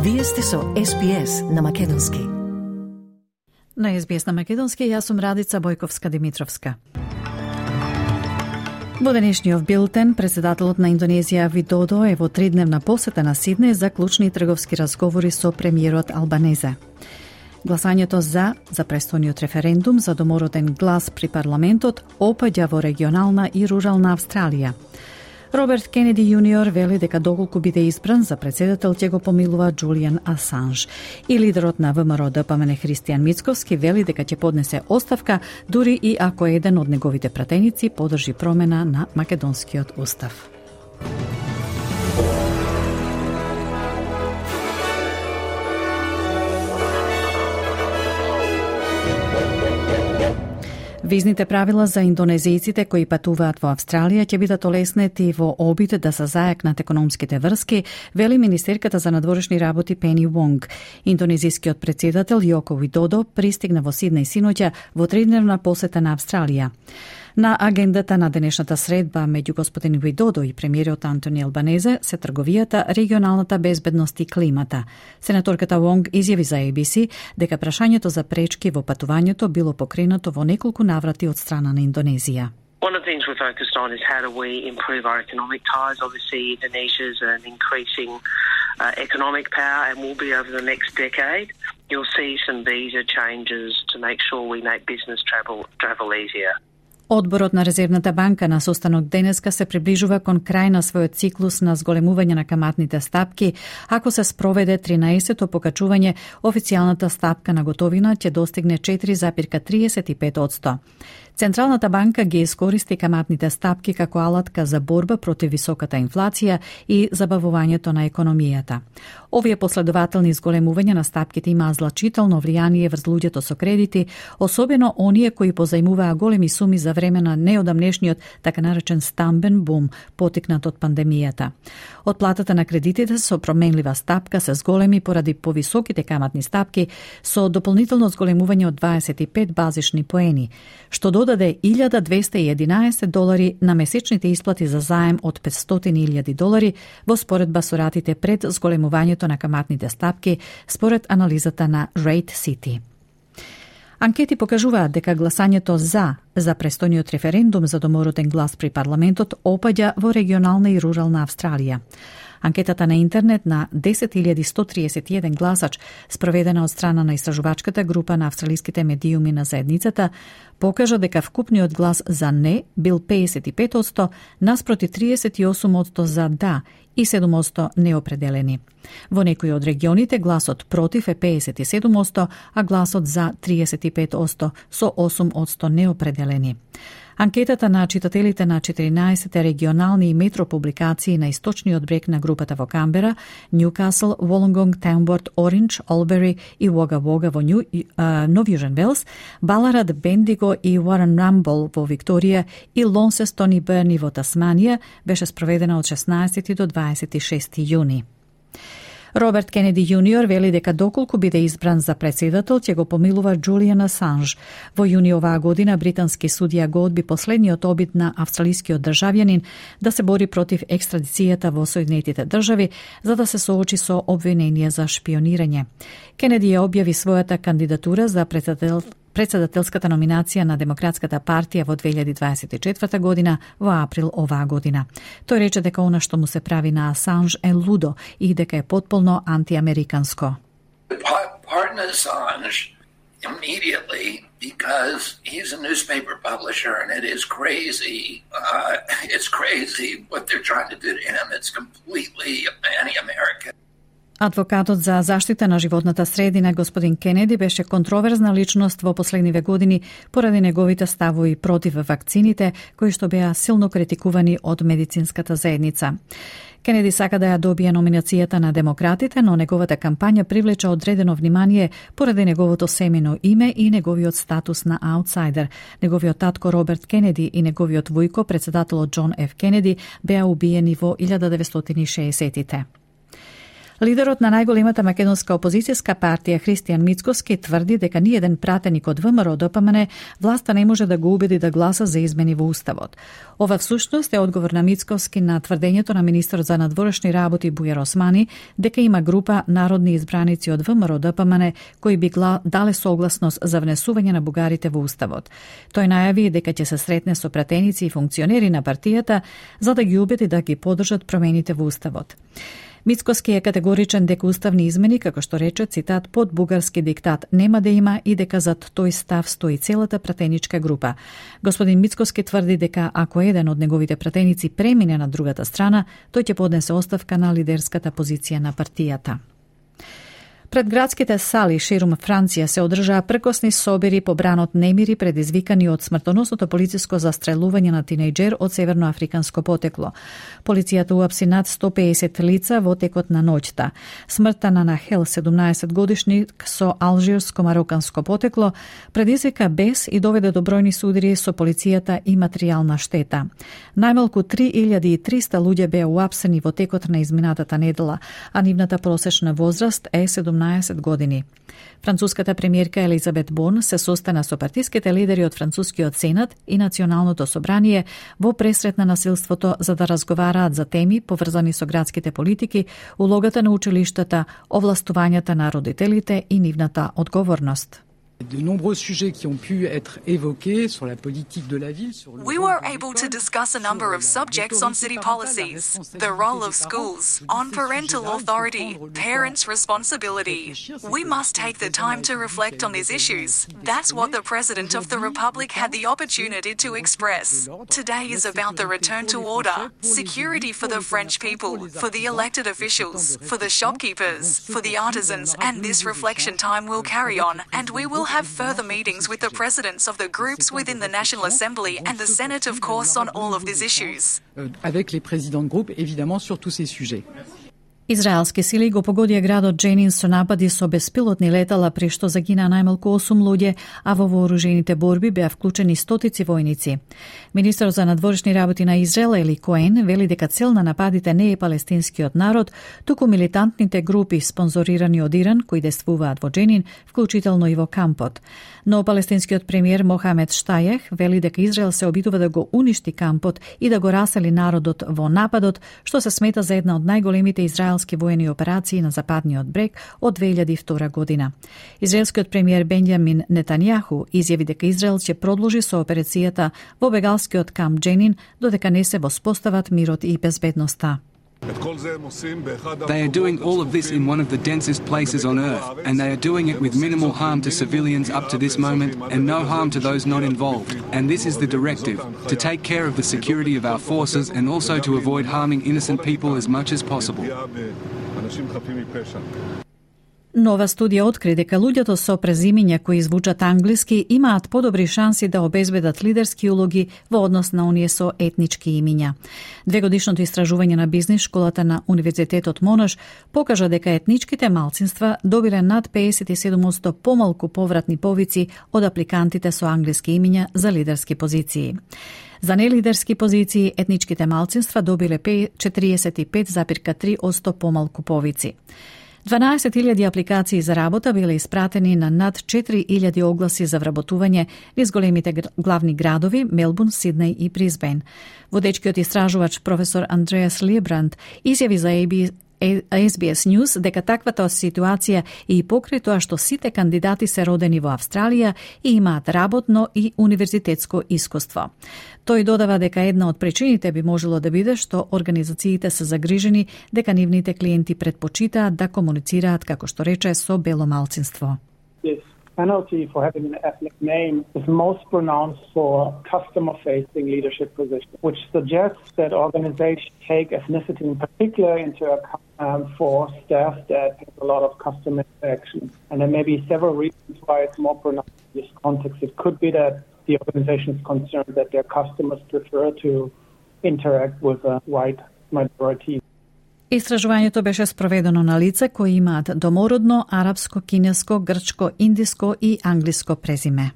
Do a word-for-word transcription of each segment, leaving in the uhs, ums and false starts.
Вие сте со Ес Би Ес на Македонски. На Ес Би Ес на Македонски, јас сум Радица Бојковска-Димитровска. Во денешниот билтен, председателот на Индонезија Видодо е во тридневна посета на Сиднеј за клучни трговски разговори со премиерот Албанезе. Гласањето за за престојниот референдум за домороден глас при парламентот опаѓа во регионална и рурална Австралија. Роберт Кенеди јуниор вели дека доколку биде избран за председател ќе го помилува Џулијан Асанж. И лидерот на ВМРО-ДПМН Христијан Мицковски вели дека ќе поднесе оставка дури и ако еден од неговите пратеници подржи промена на македонскиот устав. Визните правила за индонезијците кои патуваат во Австралија ќе бидат олеснети во обид да се зајакнат економските врски, вели министерката за надворешни работи Пени Вонг. Индонезискиот председател Јоко Видодо пристигна во Сиднеј синоќа во тридневна посета на Австралија. На агендата на денешната средба меѓу господин Видодо и премиерот Антони Албанезе се трговијата, регионалната безбедност и климата. Сенаторката Вонг изјави за Ей Би Си дека прашањето за пречки во патувањето било покренато во неколку наврати од страна на Индонезија. One of the things we're focused on is how do we improve our economic ties. Obviously, Indonesia's an increasing uh, economic power and will be over the next decade. You'll see some visa changes to make sure we make business travel travel easier. Одборот на Резервната банка на состанок денеска се приближува кон крај на својот циклус на зголемување на каматните стапки. Ако се спроведе тринаесетто покачување, официјалната стапка на готовина ќе достигне четири зарез триесет и пет одсто. Централната банка ги искористи каматните стапки како алатка за борба против високата инфлација и забавувањето на економијата. Овие последователни зголемувања на стапките имаа злачително влијание врз луѓето со кредити, особено оние кои позајмуваа големи суми за време на неодамнешниот така наречен стамбен бум, потикнат од пандемијата. Отплатата на кредитите со променлива стапка се зголеми поради повисоките каматни стапки со дополнително зголемување од дваесет и пет базични поени, што додаде илјада двесте и единаесет долари на месечните исплати за заем од петстотини илјади долари во споредба со ратите пред зголемувањето на каматните стапки, според анализата на Rate City. Анкети покажуваат дека гласањето за за престојниот референдум за домороден глас при парламентот опаѓа во регионална и рурална Австралија. Анкетата на интернет на десет илјади сто триесет и еден гласач, спроведена од страна на истражувачката група на австралиските медиуми на заедницата, покажа дека вкупниот глас за не бил педесет и пет одсто, наспроти триесет и осум одсто за да и седум одсто неопределени. Во некои од регионите гласот против е педесет и седум одсто, а гласот за триесет и пет одсто со осум одсто неопределени. Анкетата на читателите на четиринаесет регионални и метро публикации на источниот брег на групата во Камбера, Ньюкасл, Волонгонг, Тамборд, Оринч, Олбери и Вога Вога во Нью, uh, Нов Јужен Велс, Баларад, Бендиго и Уорен Рамбол во Викторија и Лонсестон и Берни во Тасманија беше спроведена од шеснаесети до дваесет и шести јуни. Роберт Кенеди јуниор вели дека доколку биде избран за председател, ќе го помилува Џулијан Асанж. Во јуни оваа година британски судија го одби последниот обид на австралискиот државјанин да се бори против екстрадицијата во Соединетите држави за да се соочи со обвинение за шпионирање. Кенеди ја објави својата кандидатура за председател председателската номинација на Демократската партија во две илјади дваесет и четврта година во април оваа година. Тој рече дека она што му се прави на Асанж е лудо и дека е потполно антиамериканско. Pardon Assange immediately because he's a newspaper publisher and it is crazy. Uh, it's crazy what they're trying to do to him. It's completely anti-American. Адвокатот за заштита на животната средина господин Кенеди беше контроверзна личност во последниве години поради неговите ставови против вакцините, кои што беа силно критикувани од медицинската заедница. Кенеди сака да ја добие номинацијата на демократите, но неговата кампања привлече одредено внимание поради неговото семено име и неговиот статус на аутсайдер. Неговиот татко Роберт Кенеди и неговиот војко, председателот Џон Еф Кенеди, беа убиени во илјада деветстотини и шеесеттите. Лидерот на најголемата македонска опозицијска партија Христијан Мицкоски тврди дека ниеден пратеник од ВМРО Д П М Н власта не може да го убеди да гласа за измени во Уставот. Ова всушност е одговор на Мицкоски на тврдењето на министерот за надворешни работи Бујар Османи дека има група народни избраници од ВМРО Д П М Н кои би дале согласност за внесување на бугарите во Уставот. Тој најави дека ќе се сретне со пратеници и функционери на партијата за да ги убеди да ги поддржат промените во Уставот. Мицкоски е категоричен дека уставни измени, како што рече, цитат, под бугарски диктат нема да има и дека зад тој став стои целата пратеничка група. Господин Мицкоски тврди дека ако еден од неговите пратеници премине на другата страна, тој ќе поднесе оставка на лидерската позиција на партијата. Пред градските сали ширум Франција се одржаа пркосни собери по бранот немири предизвикани од смртоносното полициско застрелување на тинејџер од северноафриканско потекло. Полицијата уапси над сто педесет лица во текот на ноќта. Смртта на Нахел, седумнаесет годишник со алжирско-мароканско потекло, предизвика бес и доведе до бројни судари со полицијата и материјална штета. Најмалку три илјади и триста луѓе беа уапсени во текот на изминатата недела, а нивната просечна возраст е седумнаесет години. Француската премиерка Елизабет Борн се состана со партиските лидери од Францускиот Сенат и Националното собрание во пресрет на насилството за да разговараат за теми поврзани со градските политики, улогата на училиштата, овластувањата на родителите и нивната одговорност. De nombreux sujets qui ont pu être évoqués sur la politique de la ville. Sur le we were able to discuss a number of subjects on city policies, the role of schools, on parental authority, parents' responsibility. We must take the time to reflect on these issues. That's what the President of the Republic had the opportunity to express. Today is about the return to order, security for the French people, for the elected officials, for the shopkeepers, for the artisans, and this reflection time will carry on, and we will have further meetings with the presidents of the groups within the National Assembly and the Senate, of course, on all of these issues. Avec les présidents de groupe, évidemment, sur tous ces sujets. Израелски сили го погодија градот Дженин со напади со беспилотни летала, при што загина најмалку осум луѓе, а во вооружените борби беа вклучени стотици војници. Министерот за надворешни работи на Израел Ели Коен вели дека цел на нападите не е палестинскиот народ, туку милитантните групи спонзорирани од Иран кои действуваат во Дженин, вклучително и во кампот. Но палестинскиот премиер Мохамед Штајех вели дека Израел се обидува да го уништи кампот и да го расели народот во нападот, што се смета за една од најголемите израелски воени операции на западниот брег од две илјади и втора година. Израелскиот премиер Бенјамин Нетањаху изјави дека Израел ќе продолжи со операцијата во бегалскиот камп Дженин додека не се воспостават мирот и безбедноста. They are doing all of this in one of the densest places on earth, and they are doing it with minimal harm to civilians up to this moment and no harm to those not involved. And this is the directive, to take care of the security of our forces and also to avoid harming innocent people as much as possible. Нова студија откри дека луѓето со презимиња кои звучат англиски имаат подобри шанси да обезбедат лидерски улоги во однос на оние со етнички имиња. Двегодишното истражување на бизнис школата на Универзитетот Монаш покажа дека етничките малцинства добиле над педесет и седум одсто помалку повратни повици од апликантите со англиски имиња за лидерски позиции. За нелидерски позиции етничките малцинства добиле четириесет и пет зарез и три одсто помалку повици. дванаесет илјади апликации за работа биле испратени на над четири илјади огласи за вработување низ големите главни градови Мелбурн, Сиднеј и Брисбен. Водечкиот истражувач професор Андреас Лебранд изјави за Ес Би Ес News дека таквата ситуација и покрај тоа што сите кандидати се родени во Австралија и имаат работно и универзитетско искуство. Тој додава дека една од причините би можело да биде што организациите се загрижени дека нивните клиенти предпочитаат да комуницираат, како што рече, со бело малцинство. Penalty for having an ethnic name is most pronounced for customer-facing leadership positions, which suggests that organizations take ethnicity in particular into account um, for staff that have a lot of customer interaction. And there may be several reasons why it's more pronounced in this context. It could be that the organization is concerned that their customers prefer to interact with a white minority. Истражувањето беше спроведено на лица кои имаат домородно, арапско, кинеско, грчко, индиско и англиско презиме.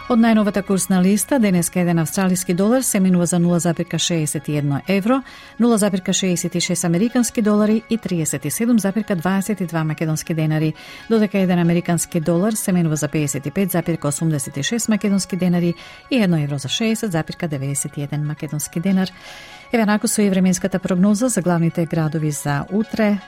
Од најновата курсна листа, денеска еден австралиски долар се менува за нула запирка шеесет и едно евро, нула запирка шеесет и шест американски долари и триесет и седум запирка дваесет и два македонски денари, додека еден американски долар се менува за пеесет и пет запирка осумдесет и шест македонски денари и едно евро за шеесет запирка деветдесет и еден македонски денар. Еве наку со и временската прогноза за главните градови за утре.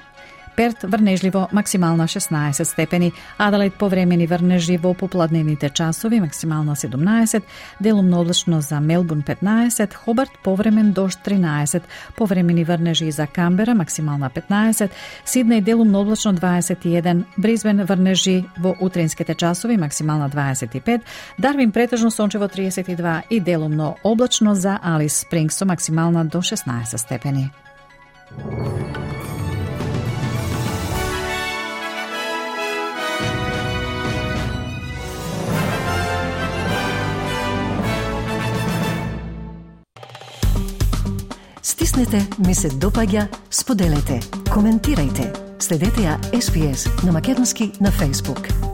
Перт врнежливо максимална шеснаесет степени, Аделаид повремени врнежи во попладневните часови максимална седумнаесет, делумно облачно за Мелбурн петнаесет, Хобарт повремен дожд тринаесет, повремени врнежи за Камбера максимална петнаесет, Сиднеј делумно облачно дваесет и еден, Бризбен врнежи во утринските часови максимална дваесет и пет, Дарвин претежно сончево триесет и два и делумно облачно за Алис Спрингс максимална до шеснаесет степени. Стиснете, ми се допаѓа, споделете, коментирајте. Следете ја Ес Би Ес на македонски на Facebook.